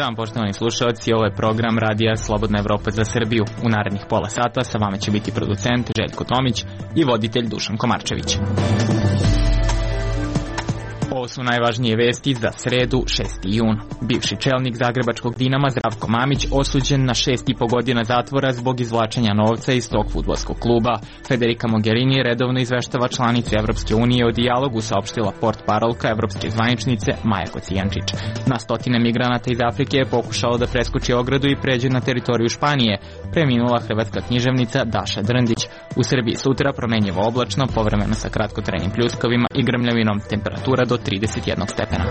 dan, poštovani slušalci, ovo je program Radija Slobodna Evropa za Srbiju. U narednih pola sata sa vama će biti producent Željko Tomić i voditelj Dušan Komarčević. Ovo su najvažnije vesti za sredu 6. jun. Bivši čelnik zagrebačkog Dinama Zdravko Mamić osuđen na 6,5 godina zatvora zbog izvlačenja novca iz tog fudbalskog kluba. Federica Mogherini redovno izveštava članice Evropske unije o dijalogu, saopštila portparolka evropske zvaničnice Maja Kocijančić. Na stotine migranata iz Afrike je pokušalo da preskoči ogradu i pređe na teritoriju Španije. Preminula hrvatska književnica Daša Drndić. U Srbiji sutra promenjivo oblačno, povremeno sa kratkotrajnim pljuskovima i grmljavinom, temperatura do 31 stepena.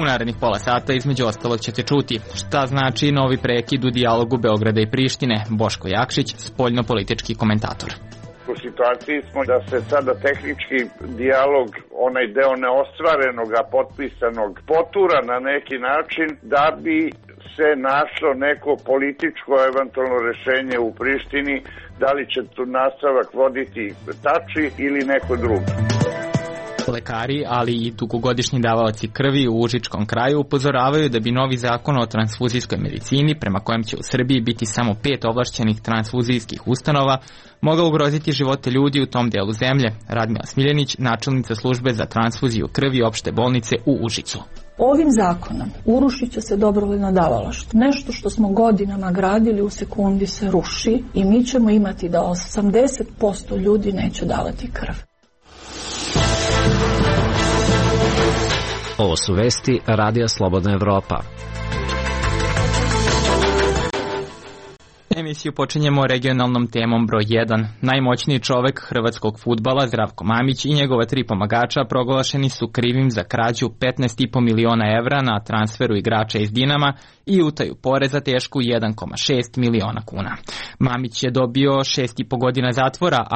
U narednih pola sata između ostalog ćete čuti šta znači novi prekid u dijalogu Beograda i Prištine. Boško Jakšić, spoljno-politički komentator. U situaciji smo da se sada tehnički dijalog, onaj deo neostvarenog, a potpisanog, potura na neki način da bi se našlo neko političko eventualno rešenje u Prištini, da li će tu nastavak voditi Tači ili neko drugi. Lekari, ali i dugogodišnji davaoci krvi u Užičkom kraju upozoravaju da bi novi zakon o transfuzijskoj medicini, prema kojem će u Srbiji biti samo 5 ovlašćenih transfuzijskih ustanova, mogao ugroziti živote ljudi u tom delu zemlje. Radmila Smiljanić, načelnica službe za transfuziju krvi opšte bolnice u Užicu. Ovim zakonom urušit će se dobrovoljno davalaštvo. Nešto što smo godinama gradili u sekundi se ruši i mi ćemo imati da 80% ljudi neće davati krv. Ovo su vesti Radija Slobodna Evropa. Emisiju počinjemo regionalnom temom broj 1. Najmoćniji čovek hrvatskog fudbala Zdravko Mamić i njegova 3 pomagača proglašeni su krivim za krađu 15,5 miliona evra na transferu igrača iz Dinama i utaju poreza tešku 1,6 miliona kuna. Mamić je dobio 6,5 godina zatvora,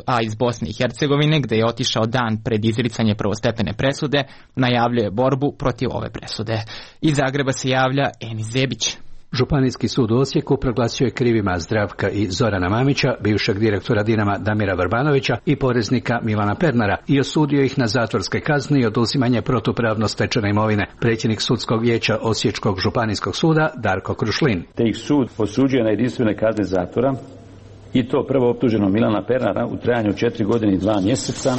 a iz Bosne i Hercegovine, gde je otišao dan pred izricanje prvostepene presude, najavljuje borbu protiv ove presude. Iz Zagreba se javlja Enis Zebić. Županijski sud u Osijeku proglasio je krivima Zdravka i Zorana Mamića, bivšeg direktora Dinama Damira Vrbanovića i poreznika Milana Pernara, i osudio ih na zatvorske kazne i oduzimanje protupravno stečene imovine. Predsjednik sudskog vijeća Osječkog županijskog suda Darko Krušlin. Te ih sud osuđuje na jedinstvene kazne zatvora, i to prvo optuženog Milana Pernara u trajanju 4 godine i 2 mjeseca,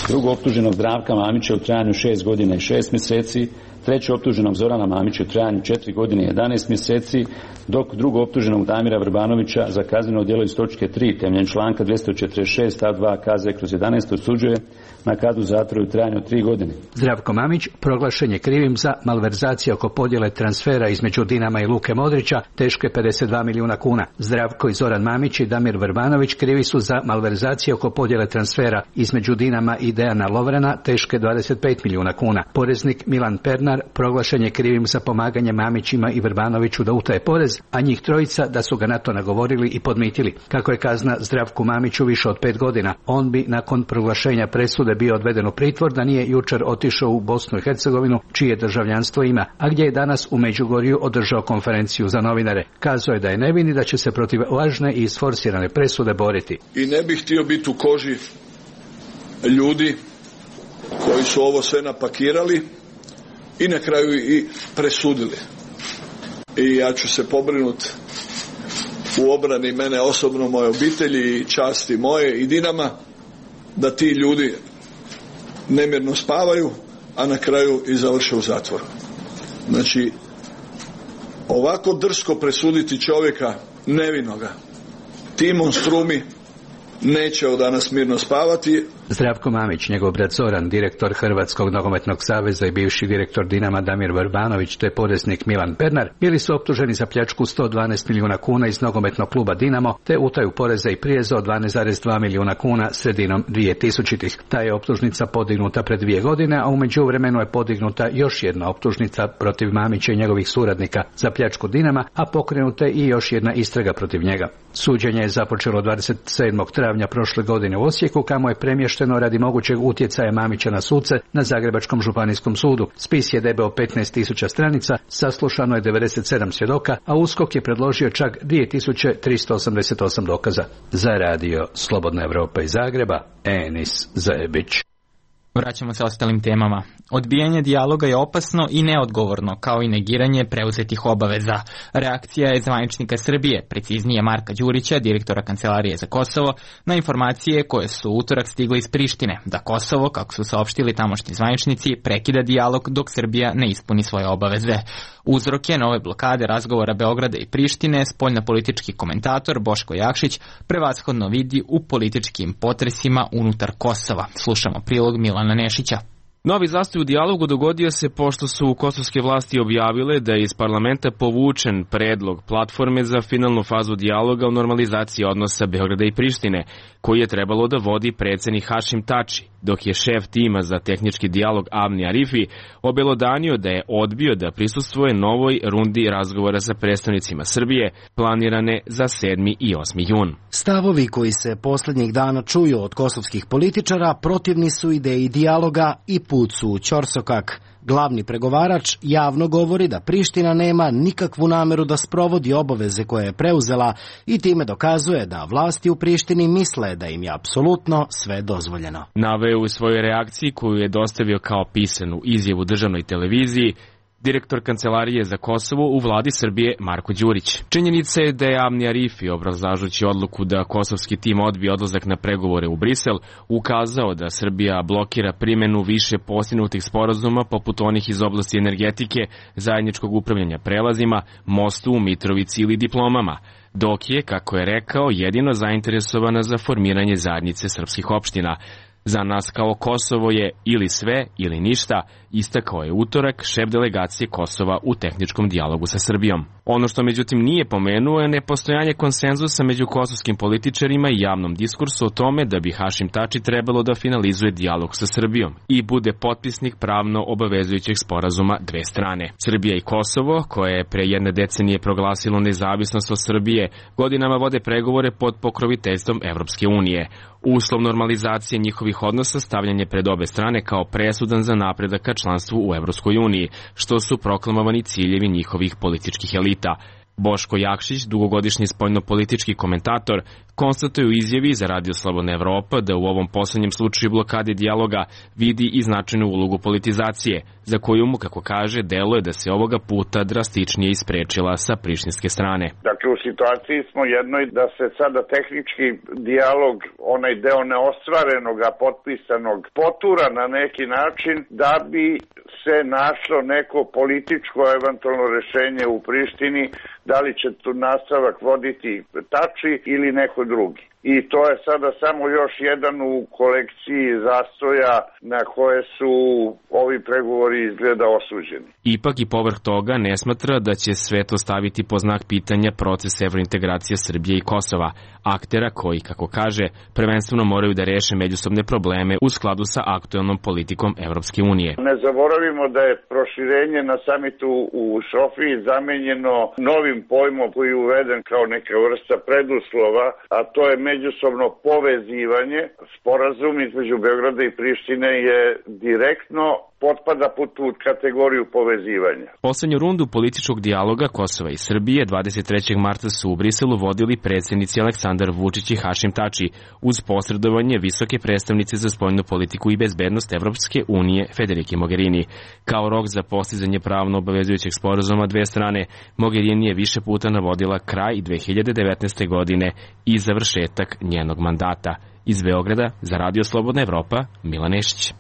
drugo optuženog Zdravka Mamića u trajanju 6 godina i 6 mjeseci, treće optuženog Zorana Mamića u trajanju 4 godine i 11 mjeseci, dok drugo optuženog Damira Vrbanovića za kazneno djelo iz točke 3 temeljem članka 246 stav 2 KZ/11 osuđuje na kaznu zatvora u trajanju 3 godine. Zdravko Mamić proglašen je krivim za malverzacije oko podjele transfera između Dinama i Luke Modrića teške 52 milijuna kuna. Zdravko i Zoran Mamić i Damir Vrbanović krivi su za malverzacije oko podjele transfera između Dinama i Dejana Lovrana teške 25 milijuna kuna. Poreznik Milan Pernar proglašen je krivim za pomaganje Mamićima i Vrbanoviću da utaje porez, a njih trojica da su ga na to nagovorili i podmitili. Kako je kazna Zdravku Mamiću više od 5 godina, on bi nakon proglašenja presude bio odveden u pritvor da nije jučer otišao u Bosnu i Hercegovinu, čije državljanstvo ima, a gdje je danas u Međugorju održao konferenciju za novinare. Kazao je da je nevin i da će se protiv lažne i isforsirane presude boriti. I ne bih htio biti u koži ljudi koji su ovo sve napakirali i na kraju i presudili. I ja ću se pobrinuti u obrani mene osobno, moje obitelji i časti moje i Dinama, da ti ljudi nemirno spavaju, a na kraju i završe u zatvoru. Znači, ovako drsko presuditi čovjeka nevinoga, ti monstrumi neće od danas mirno spavati. Zdravko Mamić, njegov brat Zoran, direktor Hrvatskog nogometnog saveza i bivši direktor Dinama Damir Vrbanović te poreznik Milan Pernar bili su optuženi za pljačku 112 milijuna kuna iz nogometnog kluba Dinamo te utaju poreza i prireza od 12,2 milijuna kuna sredinom 2000-ih. Ta je optužnica podignuta pred 2 godine, a u međuvremenu je podignuta još jedna optužnica protiv Mamića i njegovih suradnika za pljačku Dinama, a pokrenuta i još jedna istraga protiv njega. Suđenje je započelo 27. travnja prošle godine u Osijeku, kamo je premješteno radi mogućeg utjecaja Mamića na suce na Zagrebačkom županijskom sudu. Spis je debeo 15.000 stranica, saslušano je 97 svjedoka, a USKOK je predložio čak 2388 dokaza. Za radio Slobodna Evropa iz Zagreba, Enis Zebić. Vraćamo se ostalim temama. Odbijanje dijaloga je opasno i neodgovorno, kao i negiranje preuzetih obaveza. Reakcija je zvaničnika Srbije, preciznije Marka Đurića, direktora Kancelarije za Kosovo, na informacije koje su utorak stigle iz Prištine, da Kosovo, kako su saopštili tamošnji zvaničnici, prekida dijalog dok Srbija ne ispuni svoje obaveze. Uzroke nove blokade razgovora Beograda i Prištine spoljnopolitički komentator Boško Jakšić prevashodno vidi u političkim potresima unutar Kosova. Slušamo prilog Milana Nešića. Novi zastoj u dijalogu dogodio se pošto su kosovske vlasti objavile da je iz parlamenta povučen predlog platforme za finalnu fazu dijaloga o normalizaciji odnosa Beograda i Prištine, koji je trebalo da vodi predsednik Hašim Tači, dok je šef tima za tehnički dijalog Avni Arifi obelodanio da je odbio da prisustvuje novoj rundi razgovora sa predstavnicima Srbije, planirane za 7. i 8. jun. Stavovi koji se poslednjih dana čuju od kosovskih političara protivni su ideji dijaloga i put su u ćorsokak. Glavni pregovarač javno govori da Priština nema nikakvu nameru da sprovodi obaveze koje je preuzela i time dokazuje da vlasti u Prištini misle da im je apsolutno sve dozvoljeno. Naveo u svojoj reakciji koju je dostavio kao pisanu izjavu državnoj televiziji direktor Kancelarije za Kosovo u vladi Srbije Marko Đurić. Činjenica je da je Avni Arifi, obrazlažući odluku da kosovski tim odbije odlazak na pregovore u Brisel, ukazao da Srbija blokira primenu više postignutih sporazuma poput onih iz oblasti energetike, zajedničkog upravljanja prelazima, mostu u Mitrovici ili diplomama, dok je, kako je rekao, jedino zainteresovana za formiranje zajednice srpskih opština. Za nas kao Kosovo je ili sve ili ništa, istakao je utorak šef delegacije Kosova u tehničkom dijalogu sa Srbijom. Ono što međutim nije pomenuo je nepostojanje konsenzusa među kosovskim političarima i javnom diskursu o tome da bi Hašim Tači trebalo da finalizuje dijalog sa Srbijom i bude potpisnik pravno obavezujućeg sporazuma dve strane. Srbija i Kosovo, koje je pre jedne decenije proglasilo nezavisnost od Srbije, godinama vode pregovore pod pokroviteljstvom Evropske unije. Uslov normalizacije njihovih odnosa stavljan je pred obe strane kao presudan za napredak ka članstvu u Evropskoj uniji, što su proklamovani ciljevi njihovih političkih elita. Boško Jakšić, dugogodišnji spoljnopolitički komentator, konstatuje u izjavi za Radio Slobodna Evropa da u ovom poslednjem slučaju blokade dijaloga vidi i značajnu ulogu politizacije, za koju mu, kako kaže, deluje da se ovoga puta drastičnije isprečila sa prištinske strane. Dakle, u situaciji smo jednoj da se sada tehnički dijalog, onaj deo neostvarenog, a potpisanog, potura na neki način da bi se našlo neko političko eventualno rešenje u Prištini, da li će tu nastavak voditi Tači ili neko drugi. I to je sada samo još jedan u kolekciji zastoja na koje su ovi pregovori izgleda osuđeni. Ipak i povrh toga ne smatra da će sve to staviti po znak pitanja proces evrointegracije Srbije i Kosova, aktera koji, kako kaže, prvenstveno moraju da reše međusobne probleme u skladu sa aktuelnom politikom Evropske unije. Ne zaboravimo da je proširenje na samitu u Sofiji zamenjeno novim pojmom koji je uveden kao neka vrsta preduslova, a to je međusobno povezivanje. Sporazum između Beograda i Prištine je direktno potpada pod tu kategoriju povezivanja. Poslednju rundu političkog dijaloga Kosova i Srbije 23. marta su u Briselu vodili predsjednici Aleksandar Vučić i Hašim Tači uz posredovanje visoke predstavnice za spoljnu politiku i bezbednost Evropske unije Federike Mogherini. Kao rok za postizanje pravno obavezujućeg sporazuma dve strane, Mogherini je više puta navodila kraj 2019. godine i završetak njenog mandata. Iz Beograda za Radio Slobodna Evropa, Milan Nešić.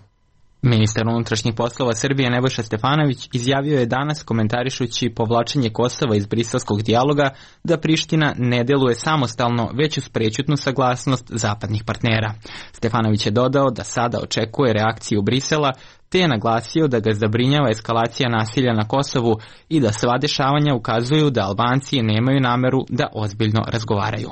Ministar unutrašnjih poslova Srbije Nebojša Stefanović izjavio je danas, komentarišući povlačenje Kosova iz briselskog dijaloga, da Priština ne deluje samostalno, već uz prećutnu saglasnost zapadnih partnera. Stefanović je dodao da sada očekuje reakciju Brisela, te je naglasio da ga zabrinjava eskalacija nasilja na Kosovu i da sva dešavanja ukazuju da Albanci nemaju nameru da ozbiljno razgovaraju.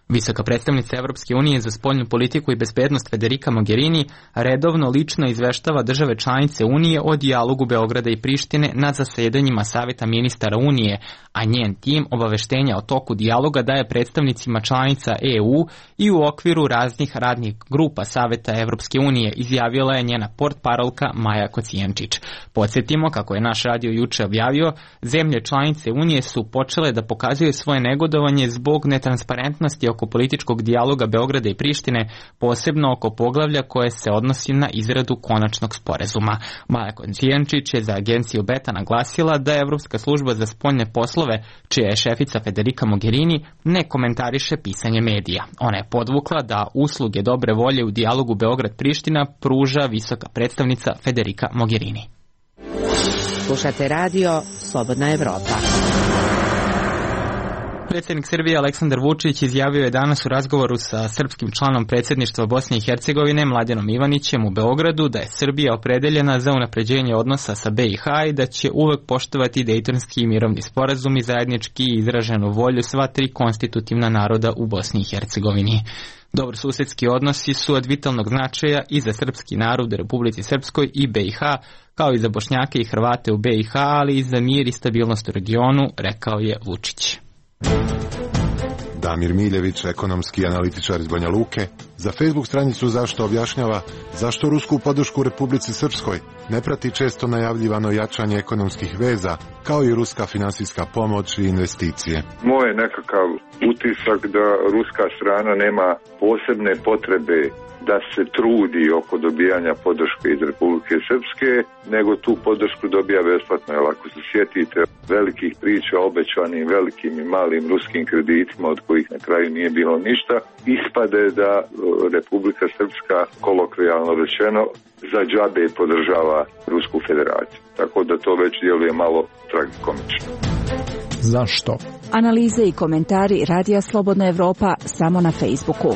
Visoka predstavnica Evropske unije za spoljnu politiku i bezbednost Federika Mogherini redovno lično izveštava države članice Unije o dijalogu Beograda i Prištine na zasedanjima Saveta ministara Unije, a njen tim obaveštenja o toku dijaloga daje predstavnicima članica EU i u okviru raznih radnih grupa Saveta Evropske unije, izjavila je njena portparolka Maja Kocijančić. Podsjetimo, kako je naš radio juče objavio, zemlje članice Unije su počele da pokazuju svoje negodovanje zbog netransparentnosti oko političkog dijaloga Beograda i Prištine, posebno oko poglavlja koje se odnosi na izradu konačnog sporazuma. Maja Kocijančić je za agenciju Beta naglasila da Evropska služba za spoljne poslove, čija je šefica Federica Mogherini, ne komentariše pisanje medija. Ona je podvukla da usluge dobre volje u dijalogu Beograd-Priština pruža visoka predstavnica Federica Mogherini. Slušate radio Slobodna Evropa. Predsjednik Srbije Aleksandar Vučić izjavio je danas u razgovoru sa srpskim članom predsjedništva Bosne i Hercegovine Mladenom Ivanićem u Beogradu da je Srbija opredeljena za unapređenje odnosa sa BiH i da će uvek poštovati Dejtonski mirovni sporazum i zajednički izraženu volju sva tri konstitutivna naroda u Bosni i Hercegovini. Dobrosusedski odnosi su od vitalnog značaja i za srpski narod u Republici Srpskoj i BiH, kao i za Bošnjake i Hrvate u BiH, ali i za mir i stabilnost u regionu, rekao je Vučić. Damir Miljević, ekonomski analitičar iz Banja Luke, za Facebook stranicu Zašto objašnjava zašto rusku podršku Republici Srpskoj ne prati često najavljivano jačanje ekonomskih veza, kao i ruska finansijska pomoć i investicije. Moj je nekakav utisak da ruska strana nema posebne potrebe da se trudi oko dobijanja podrške iz Republike Srpske, nego tu podršku dobija besplatno. Jer ako se sjetite velikih priča o obećanim velikim i malim ruskim kreditima od kojih na kraju nije bilo ništa, ispade da Republika Srpska, kolokvijalno rečeno, za džabe podržava Rusku federaciju. Tako da to već djeluje malo tragikomično. Zašto? Analize i komentari Radija Slobodna Evropa samo na Facebooku.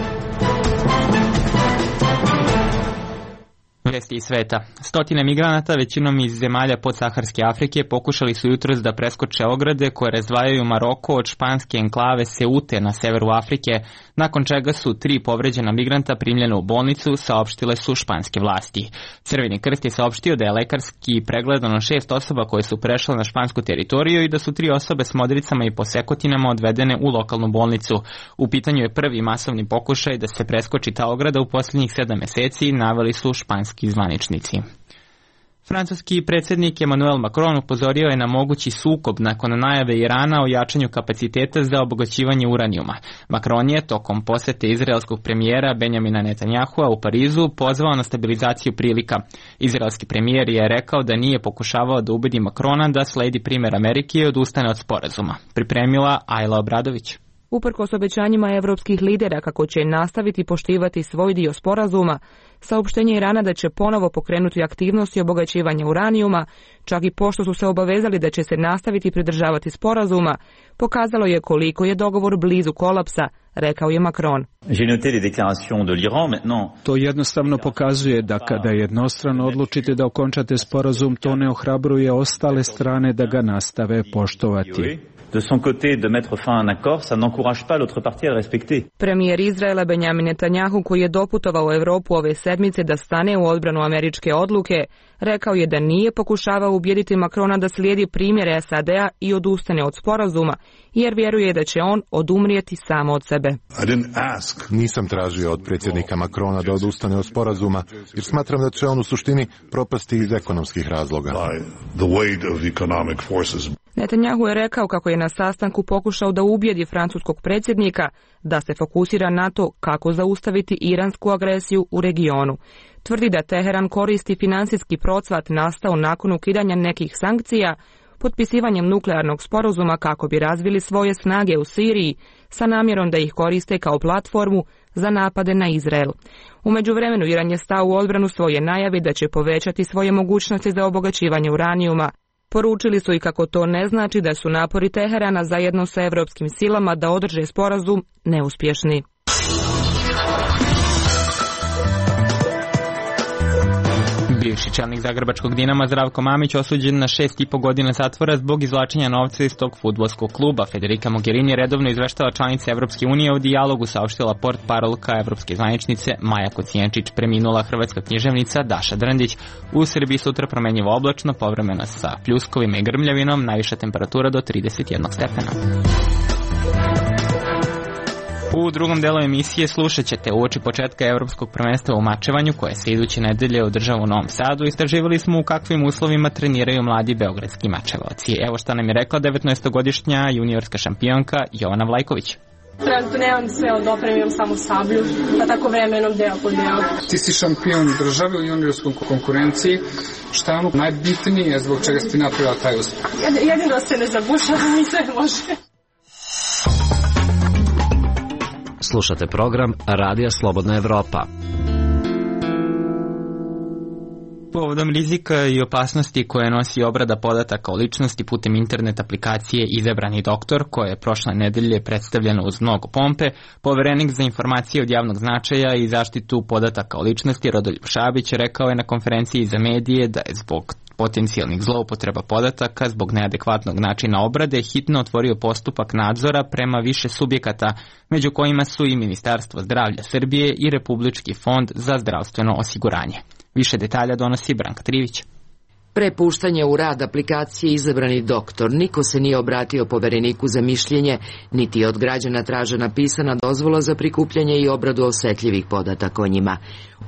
Vesti iz sveta. Stotine migranata, većinom iz zemalja podsaharske Afrike, pokušali su jutros da preskoče ograde koje razdvajaju Maroko od španske enklave Seute na severu Afrike, nakon čega su 3 povređena migranta primljena u bolnicu, saopštile su španske vlasti. Crveni krst je saopštio da je lekarski pregledano 6 osoba koje su prešle na špansku teritoriju i da su 3 osobe s modricama i posekotinama odvedene u lokalnu bolnicu. U pitanju je prvi masovni pokušaj da se preskoči ta ograda u posljednjih 7 meseci, naveli su španski zvaničnici. Francuski predsjednik Emmanuel Macron upozorio je na mogući sukob nakon najave Irana o jačanju kapaciteta za obogaćivanje uranijuma. Macron je tokom posete izraelskog premijera Benjamina Netanyahua u Parizu pozvao na stabilizaciju prilika. Izraelski premijer je rekao da nije pokušavao da ubedi Macrona da sledi primjer Amerike i odustane od sporazuma. Pripremila Ajla Obradović. Uprkos obećanjima evropskih lidera kako će nastaviti poštivati svoj dio sporazuma, saopštenje Irana da će ponovo pokrenuti aktivnosti obogaćivanja uranijuma, čak i pošto su se obavezali da će se nastaviti pridržavati sporazuma, pokazalo je koliko je dogovor blizu kolapsa, rekao je Macron. To jednostavno pokazuje da kada jednostrano odlučite da okončate sporazum, to ne ohrabruje ostale strane da ga nastave poštovati. De son côté de mettre fin à un accord, ça n'encourage pas l'autre partie à le respecter. Premijer Izraela Benjamin Netanyahu, koji je doputovao u Evropu ove sedmice da stane u odbranu američke odluke, rekao je da nije pokušavao ubijediti Macrona da slijedi primjere SAD-a i odustane od sporazuma, jer vjeruje da će on odumrijeti samo od sebe. Nisam tražio od predsjednika Macrona da odustane od sporazuma, jer smatram da će on u suštini propasti iz ekonomskih razloga. Netanyahu je rekao kako je na sastanku pokušao da ubijedi francuskog predsjednika da se fokusira na to kako zaustaviti iransku agresiju u regionu. Tvrdi da Teheran koristi finansijski procvat nastao nakon ukidanja nekih sankcija potpisivanjem nuklearnog sporazuma kako bi razvili svoje snage u Siriji sa namjerom da ih koriste kao platformu za napade na Izrael. U međuvremenu Iran je stao u odbranu svoje najavi da će povećati svoje mogućnosti za obogaćivanje uranijuma. Poručili su i kako to ne znači da su napori Teherana zajedno sa evropskim silama da održe sporazum neuspješni. Bivši čelnik zagrebačkog Dinama Zdravko Mamić osuđen na 6,5 godina zatvora zbog izvlačenja novca iz tog fudbalskog kluba. Federica Mogherini redovno izveštava članice Evropske unije o dijalogu, saopštila portparolka evropske zvaničnice Maja Kocijančić. Preminula hrvatska književnica Daša Drndić. U Srbiji sutra promenjivo oblačno, povremeno sa pljuskovima i grmljavinom, najviša temperatura do 31 stepena. U drugom delu emisije slušat ćete uoči početka Evropskog prvenstva u mačevanju koje se iduće nedelje održava u Novom Sadu. Istraživali smo u kakvim uslovima treniraju mladi beogradski mačevaoci. Evo šta nam je rekla 19-godišnja juniorska šampionka Jovana Vlajković. Trenutno nemam sve od opreme, imam samo sablju, pa tako vremenom deo po deo. Ti si šampion države u juniorskoj konkurenciji. Šta je ono najbitnije zbog čega si ti napravila taj uspeh? Jedino se ne zabušavam i sve može. Slušate program Radija Slobodna Evropa. Povodom rizika i opasnosti koje nosi obrada podataka o ličnosti putem internet aplikacije Izabrani doktor, koje je prošle nedelje predstavljeno uz mnogo pompe, poverenik za informacije od javnog značaja i zaštitu podataka o ličnosti Rodoljub Šabić rekao je na konferenciji za medije da je zbog potencijalnih zloupotreba podataka zbog neadekvatnog načina obrade hitno otvorio postupak nadzora prema više subjekata, među kojima su i Ministarstvo zdravlja Srbije i Republički fond za zdravstveno osiguranje. Više detalja donosi Branka Trivić. Pre puštanja u rad aplikacije Izabrani doktor, niko se nije obratio povereniku za mišljenje, niti od građana tražena pisana dozvola za prikupljanje i obradu osetljivih podataka o njima.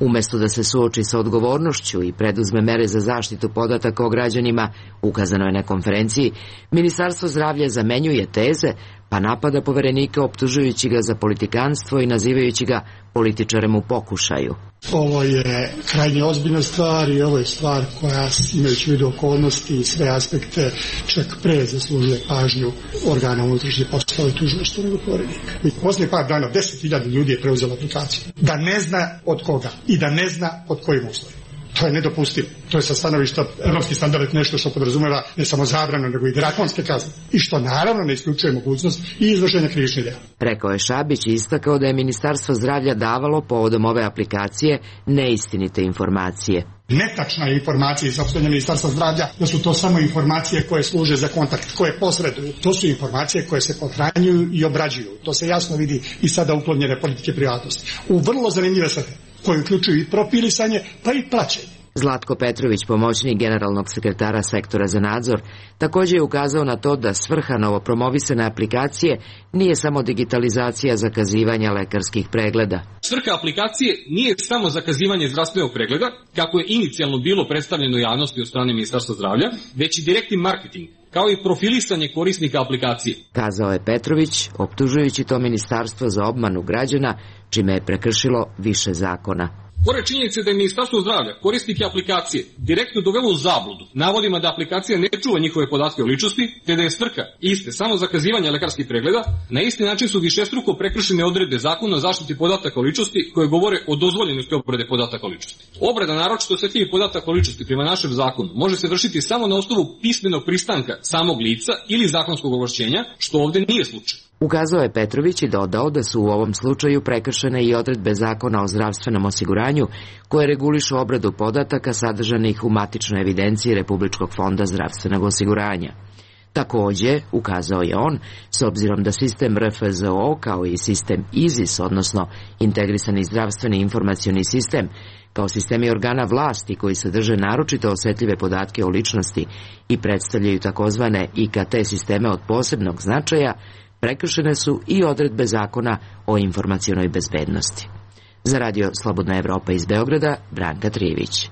Umesto da se suoči sa odgovornošću i preduzme mere za zaštitu podataka o građanima, ukazano je na konferenciji, Ministarstvo zdravlja zamenjuje teze, pa napada poverenika optužujući ga za politikanstvo i nazivajući ga političarem u pokušaju. Ovo je krajnje ozbiljna stvar i ovo je stvar koja, imajući u vidu okolnosti i sve aspekte, čak pre zaslužuje pažnju organa unutrašnjih poslova i tužilaštva nego poverenika. I poslije par dana 10.000 ljudi je preuzelo aplikaciju. Da ne zna od koga i da ne zna pod kojim uslovima. To je nedopustivo. To je sa stanovišta evropski standard nešto što podrazumeva ne samo zabranu, nego i drakonske kazne. I što naravno ne isključuje mogućnost i izvršenja krivičnih dela. Rekao je Šabić i istakao da je Ministarstvo zdravlja davalo povodom ove aplikacije neistinite informacije. Netačna je informacija iz opštenja Ministarstva zdravlja da su to samo informacije koje služe za kontakt, koje posreduju. To su informacije koje se pohranjuju i obrađuju. To se jasno vidi i sada uklonjene politike privatnosti. U vrlo zanimljive svrhe, koje uključuju i profilisanje, pa i plaćanje. Zlatko Petrović, pomoćnik generalnog sekretara sektora za nadzor, također je ukazao na to da svrha novopromovisane aplikacije nije samo digitalizacija zakazivanja lekarskih pregleda. Svrha aplikacije nije samo zakazivanje zdravstvenog pregleda, kako je inicijalno bilo predstavljeno javnosti od strane Ministarstva zdravlja, već i direktni marketing, kao i profilisanje korisnika aplikacije. Kazao je Petrović, optužujući to ministarstvo za obmanu građana, čime je prekršilo više zakona. Pored činjenice da je Ministarstvo zdravlja korisnike aplikacije direktno dovelo u zabludu navodima da aplikacija ne čuva njihove podatke o ličnosti, te da je svrha iste samo zakazivanje lekarskih pregleda, na isti način su višestruko prekršene odredbe Zakona o zaštiti podataka o ličnosti koje govore o dozvoljenosti obrade podataka o ličnosti. Obrada naročito osetljivih podataka o ličnosti prema našem zakonu može se vršiti samo na osnovu pismenog pristanka samog lica ili zakonskog ovlašćenja, što ovdje nije slučaj. Ukazao je Petrović i dodao da su u ovom slučaju prekršene i odredbe Zakona o zdravstvenom osiguranju koje regulišu obradu podataka sadržanih u matičnoj evidenciji Republičkog fonda zdravstvenog osiguranja. Također, ukazao je on, s obzirom da sistem RFZO kao i sistem IZIS, odnosno Integrisani zdravstveni informacioni sistem, kao sistemi organa vlasti koji sadrže naročito osetljive podatke o ličnosti i predstavljaju takozvane IKT sisteme od posebnog značaja, prekršene su i odredbe Zakona o informacionoj bezbednosti. Za Radio Slobodna Evropa iz Beograda, Branka Trivić.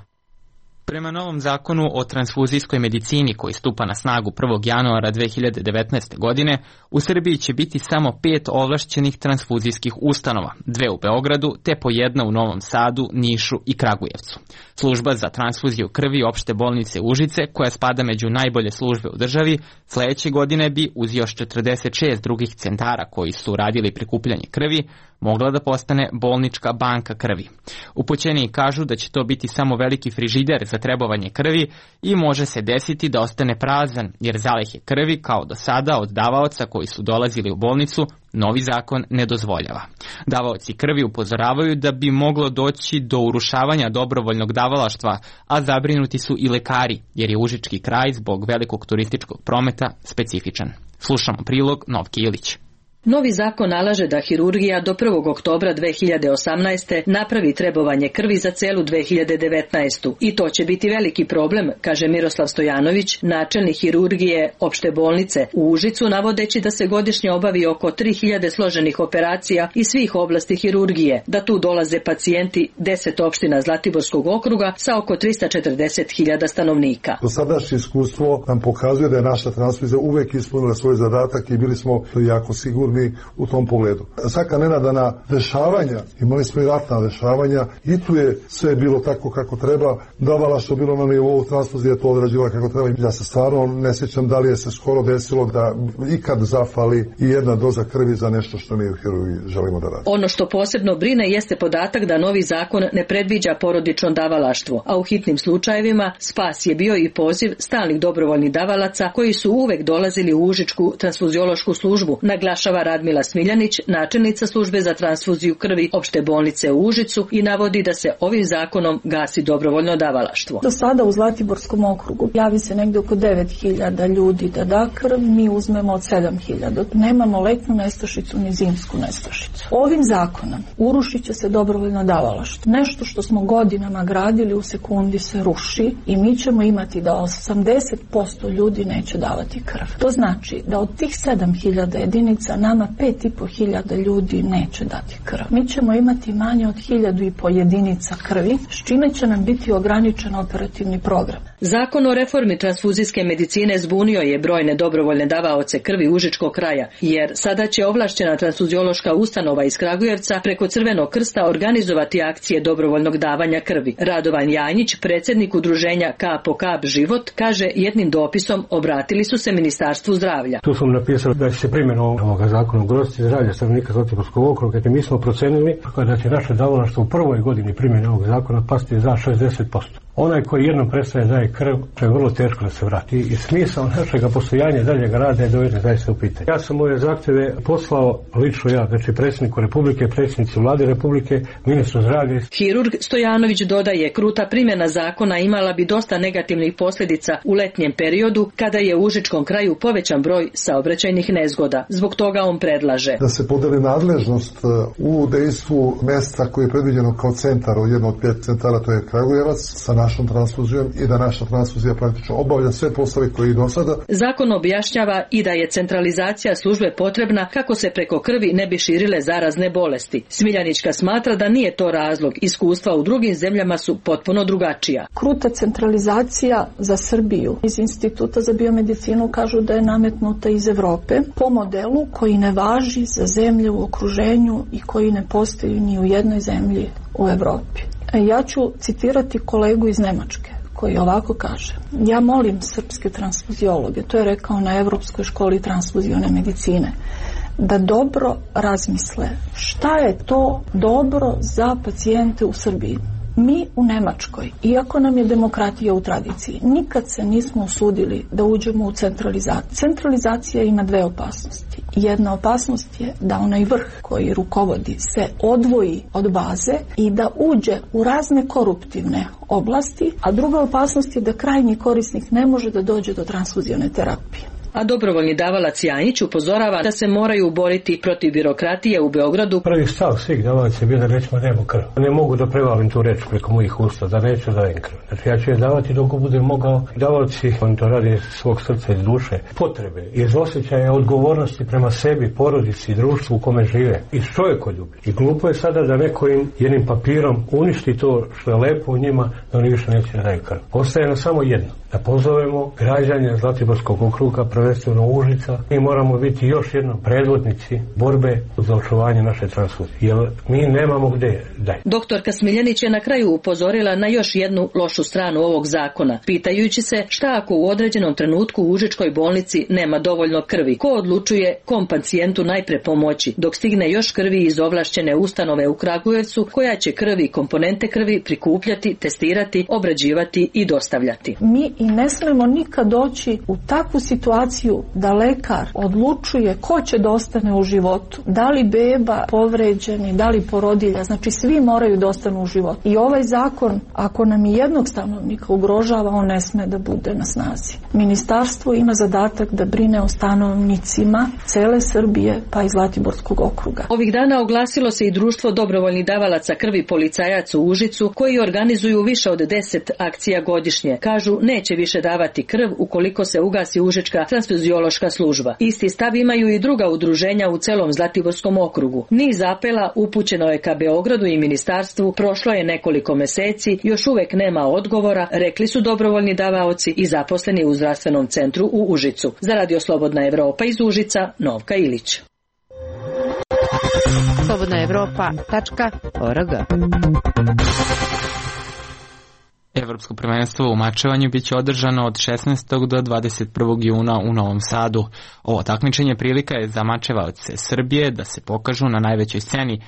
Prema novom zakonu o transfuzijskoj medicini koji stupa na snagu 1. januara 2019. godine, u Srbiji će biti samo 5 ovlašćenih transfuzijskih ustanova, 2 u Beogradu te po 1 u Novom Sadu, Nišu i Kragujevcu. Služba za transfuziju krvi opšte bolnice Užice, koja spada među najbolje službe u državi, sledeće godine bi uz još 46 drugih centara koji su radili prikupljanje krvi, mogla da postane bolnička banka krvi. Upućeni kažu da će to biti samo veliki frižider za trebovanje krvi i može se desiti da ostane prazan, jer zalihe krvi, kao do sada, od davaoca koji su dolazili u bolnicu, novi zakon ne dozvoljava. Davaoci krvi upozoravaju da bi moglo doći do urušavanja dobrovoljnog davalaštva, a zabrinuti su i lekari, jer je užički kraj zbog velikog turističkog prometa specifičan. Slušamo prilog Novke Ilić. Novi zakon nalaže da hirurgija do 1. oktobra 2018. napravi trebovanje krvi za celu 2019. I to će biti veliki problem, kaže Miroslav Stojanović, načelnik hirurgije opšte bolnice u Užicu, navodeći da se godišnje obavi oko 3000 složenih operacija iz svih oblasti hirurgije, da tu dolaze pacijenti 10 opština Zlatiborskog okruga sa oko 340.000 stanovnika. Dosadašnje iskustvo nam pokazuje da je naša transfuzija uvek ispunila svoj zadatak i bili smo jako sigurni neophodni u tom pogledu. Svaka nenadana dešavanja, imali smo i ratna dešavanja, i tu je sve bilo tako kako treba, davala što bilo na nivou transfuzije, to odrađivala kako treba. Ja se stvarno ne sjećam da li je se skoro desilo da ikad zafali i jedna doza krvi za nešto što mi u hirurgiji želimo da radimo. Ono što posebno brine jeste podatak da novi zakon ne predviđa porodično davalaštvo, a u hitnim slučajevima spas je bio i poziv stalnih dobrovoljnih davalaca koji su uvek dolazili u Užičku transfuziološku službu, naglašava Radmila Smiljanić, načelnica službe za transfuziju krvi opšte bolnice u Užicu, i navodi da se ovim zakonom gasi dobrovoljno davalaštvo. Do sada u Zlatiborskom okrugu javi se negde oko 9.000 ljudi da da krv, mi uzmemo od 7.000. Nemamo letnu nestašicu ni zimsku nestašicu. Ovim zakonom urušit će se dobrovoljno davalaštvo. Nešto što smo godinama gradili u sekundi se ruši i mi ćemo imati da 80% ljudi neće davati krv. To znači da od tih 7.000 jedinica nama 5.500 ljudi neće dati krv. Mi ćemo imati manje od 1.500 jedinica krvi, s čime će nam biti ograničen operativni program. Zakon o reformi transfuzijske medicine zbunio je brojne dobrovoljne davaoce krvi Užičkog kraja, jer sada će ovlašćena transfuziološka ustanova iz Kragujevca preko Crvenog krsta organizovati akcije dobrovoljnog davanja krvi. Radovan Janjić, predsjednik udruženja Kap po kap život, kaže jednim dopisom obratili su se Ministarstvu zdravlja. Tu sam napisao da će se primjenom ovoga zakona ugroziti zdravlje stanovnika Zlatiborskog okruga, jer mi smo procenili da će naše davalaštvo u prvoj godini primjene ovog zakona pasti za 60%. Onaj koji jednom prestaje daje krv, to je vrlo teško da se vrati i smisao našega postojanja daljeg rada je dovede zaista u pitanje. Ja sam ove zahtjeve poslao lično ja, znači predsjedniku Republike, predsjednici Vlade Republike, ministru zdravlja. Hirurg Stojanović dodaje, kruta primjena zakona imala bi dosta negativnih posljedica u letnjem periodu kada je u Užičkom kraju povećan broj saobraćajnih nezgoda. Zbog toga on predlaže da se podeli nadležnost u dejstvu mjesta koje je predviđeno kao centar, jedno od 5 centara, to je Kragujevac, sa našom transfuzijom i da naša transfuzija praktično obavlja sve poslove koji i do sada. Zakon objašnjava i da je centralizacija službe potrebna kako se preko krvi ne bi širile zarazne bolesti. Smiljanićka smatra da nije to razlog, iskustva u drugim zemljama su potpuno drugačija. Kruta centralizacija za Srbiju iz Instituta za biomedicinu kažu da je nametnuta iz Evrope po modelu koji ne važi za zemlje u okruženju i koji ne postoji ni u jednoj zemlji u Evropi. Ja ću citirati kolegu iz Nemačke koji ovako kaže: ja molim srpske transfuziologe, to je rekao na Evropskoj školi transfuzione medicine, da dobro razmisle šta je to dobro za pacijente u Srbiji. Mi u Nemačkoj, iako nam je demokratija u tradiciji, nikad se nismo usudili da uđemo u centralizaciju. Centralizacija ima dve opasnosti. Jedna opasnost je da onaj vrh koji rukovodi se odvoji od baze i da uđe u razne koruptivne oblasti, a druga opasnost je da krajnji korisnik ne može da dođe do transfuzione terapije. A dobrovoljni davalac Janjić upozorava da se moraju boriti protiv birokratije u Beogradu. Prvi stav svih davalaca je bio da nećemo dajemo krv. Ne mogu da prevalim tu reč preko mojih usta, da neću dajem krv. Znači ja ću je davati dok budem mogao. Davalci, oni to radi iz svog srca i duše, potrebe, iz osjećaja odgovornosti prema sebi, porodici i društvu u kome žive. Iz čovjekoljublja. I glupo je sada da neko im jednim papirom uništi to što je lepo u njima, da oni više neće da daju krv. Ostaje nam samo jedno. Da pozovemo građane Zlatiborskog okruga, prvenstveno Užica, mi moramo biti još jednom predvodnici borbe za očuvanje naše transfuzije, jer mi nemamo gde dalje. Doktorka Smiljanić je na kraju upozorila na još jednu lošu stranu ovog zakona, pitajući se šta ako u određenom trenutku u Užičkoj bolnici nema dovoljno krvi, ko odlučuje kom pacijentu najpre pomoći, dok stigne još krvi iz ovlašćene ustanove u Kragujevcu, koja će krvi i komponente krvi prikupljati, testirati, obrađivati i dostavljati. Mi i ne smemo nikad doći u takvu situaciju da lekar odlučuje ko će da ostane u životu, da li beba povređeni, da li porodilja, znači svi moraju da ostanu u životu. I ovaj zakon, ako nam i jednog stanovnika ugrožava, on ne sme da bude na snazi. Ministarstvo ima zadatak da brine o stanovnicima cele Srbije, pa i Zlatiborskog okruga. Ovih dana oglasilo se i društvo dobrovoljnih davalaca krvi policajaca u Užicu, koji organizuju više od 10 akcija godišnje. Kažu, neće više davati krv ukoliko se ugasi Užička transfuziološka služba. Isti stav imaju i druga udruženja u celom Zlatiborskom okrugu. Niz apela upućeno je ka Beogradu i ministarstvu, prošlo je nekoliko meseci, još uvek nema odgovora, rekli su dobrovoljni davaoci i zaposleni u zdravstvenom centru u Užicu. Za Radio Slobodna Evropa iz Užica, Novka Ilić. slobodnaevropa.org. Evropsko prvenstvo u mačevanju biće održano od 16. do 21. juna u Novom Sadu. Ovo takmičenje prilika je za mačevaoce Srbije da se pokažu na najvećoj sceni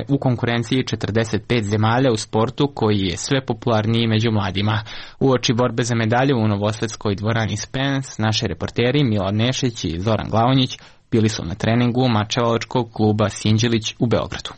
u konkurenciji 45 zemalja u sportu koji je sve popularniji među mladima. Uoči borbe za medalje u novosadskoj dvorani Spence, naši reporteri Milan Nešić i Zoran Glavonjić bili su na treningu mačevalačkog kluba Sinđelić u Beogradu.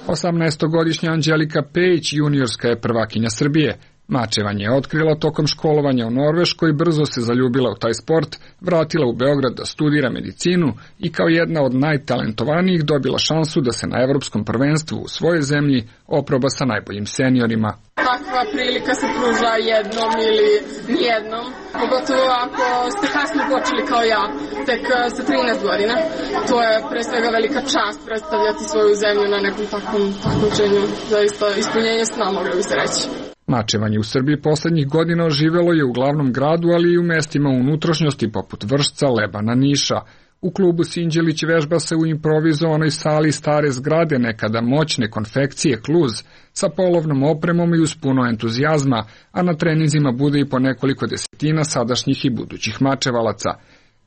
18-godišnja Anđelika Pejić juniorska je prvakinja Srbije. Mačevanje je otkrila tokom školovanja u Norveškoj, brzo se zaljubila u taj sport, vratila u Beograd da studira medicinu i kao jedna od najtalentovanijih dobila šansu da se na evropskom prvenstvu u svojoj zemlji oproba sa najboljim seniorima. Takva prilika se pruža jednom ili nijednom, pogotovo ako ste kasno počeli kao ja, tek sa 13 godina. To je pre svega velika čast predstavljati svoju zemlju na nekom takvom takmičenju, zaista ispunjenje sna, moglo bi se reći. Mačevanje u Srbiji poslednjih godina oživelo je u glavnom gradu, ali i u mestima u unutrašnjosti poput Vršca, Lebana, Niša. U klubu Sinđelić vežba se u improvizovanoj sali stare zgrade nekada moćne konfekcije Kluz sa polovnom opremom i uz puno entuzijazma, a na treninzima bude i po nekoliko desetina sadašnjih i budućih mačevalaca.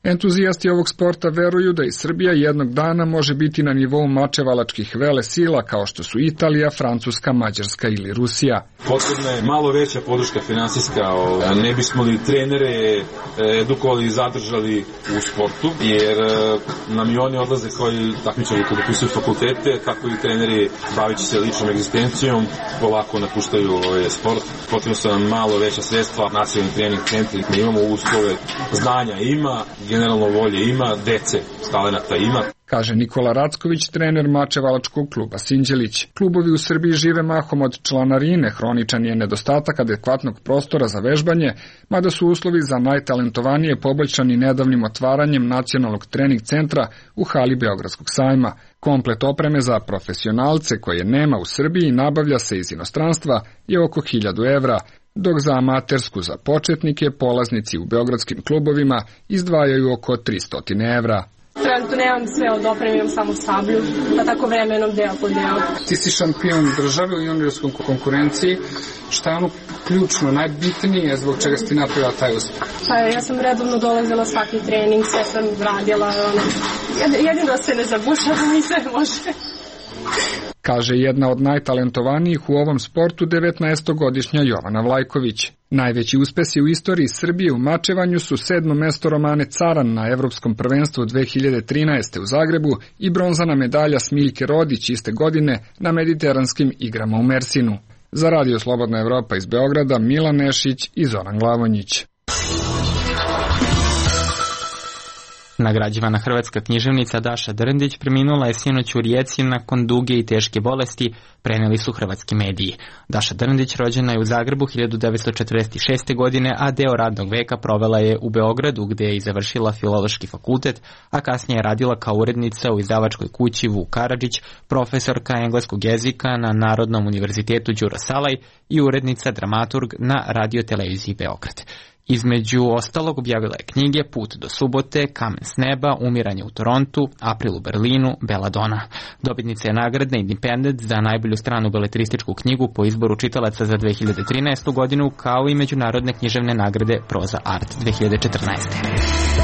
Entuzijasti ovog sporta veruju da i Srbija jednog dana može biti na nivou mačevalačkih vele sila kao što su Italija, Francuska, Mađarska ili Rusija. Potrebna je malo veća podrška finansijska, ne bismo li trenere edukovali i zadržali u sportu, jer nam i oni odlaze koji takmičari koji upisuju fakultete, tako i treneri bavići se ličnom egzistencijom, polako napuštaju sport. Potrebno su nam malo veća sredstva, nacionalni trening centri, mi imamo uslove, znanja ima, generalno volje ima, dece, talenata ima. Kaže Nikola Racković, trener mačevalačkog kluba Sinđelić. Klubovi u Srbiji žive mahom od članarine, hroničan je nedostatak adekvatnog prostora za vežbanje, mada su uslovi za najtalentovanije poboljšani nedavnim otvaranjem nacionalnog trening centra u hali Beogradskog sajma. Komplet opreme za profesionalce koje nema u Srbiji nabavlja se iz inostranstva je oko 1000 evra, dok za amatersku za početnike polaznici u beogradskim klubovima izdvajaju oko 300 evra. Trenutno nemam sve od opreme, imam samo sablju, pa tako vremenom deo po deo. Ti si šampion države u juniorskoj konkurenciji. Šta je ono ključno, najbitnije zbog čega si ti napravila taj uspeh? Pa ja sam redovno dolazila svaki trening, sve sam radila. Jedino se ne zabušavam i sve može. Kaže jedna od najtalentovanijih u ovom sportu 19-godišnja Jovana Vlajković. Najveći uspesi u istoriji Srbije u mačevanju su 7. mesto Romane Caran na Evropskom prvenstvu 2013. u Zagrebu i bronzana medalja Smiljke Rodić iste godine na Mediteranskim igrama u Mersinu. Za Radio Slobodna Evropa iz Beograda, Milan Nešić i Zoran Glavonjić. Nagrađivana hrvatska književnica Daša Drndić preminula je sinoć u Rijeci nakon duge i teške bolesti, preneli su hrvatski mediji. Daša Drndić rođena je u Zagrebu 1946. godine, a deo radnog veka provela je u Beogradu gde je i završila Filološki fakultet, a kasnije je radila kao urednica u izdavačkoj kući Vuk Karadžić, profesorka engleskog jezika na Narodnom univerzitetu Đuro Salaj i urednica dramaturg na Radio-televiziji Beograd. Između ostalog objavila je knjige Put do subote, Kamen s neba, Umiranje u Torontu, April u Berlinu, Belladonna. Dobitnica je nagrade Independent za najbolju stranu beletrističku knjigu po izboru čitalaca za 2013. godinu, kao i međunarodne književne nagrade Proza Art 2014.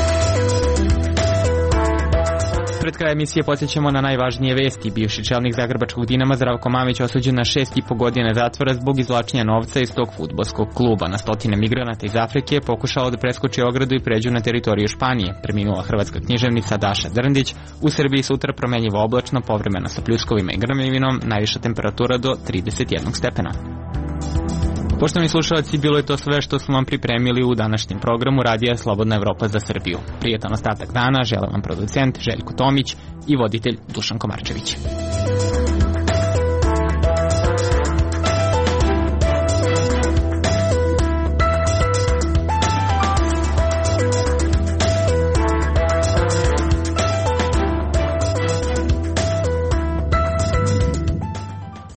Pred kraj emisije podsjećamo na najvažnije vesti. Bivši čelnik zagrebačkog Dinama Zdravko Mamić osuđen na 6,5 godine zatvora zbog izvlačenja novca iz tog fudbalskog kluba. Na stotine migranata iz Afrike pokušao da preskoči ogradu i pređu na teritoriju Španije. Preminula hrvatska književnica Daša Drndić. U Srbiji sutra promenljivo oblačno, povremeno sa pljuskovima i grmljevinom, najviša temperatura do 31 stepena. Poštovani slušalci, bilo je to sve što smo vam pripremili u današnjem programu Radija Slobodna Evropa za Srbiju. Prijetan ostatak dana žele vam producent Željko Tomić i voditelj Dušan Komarčević.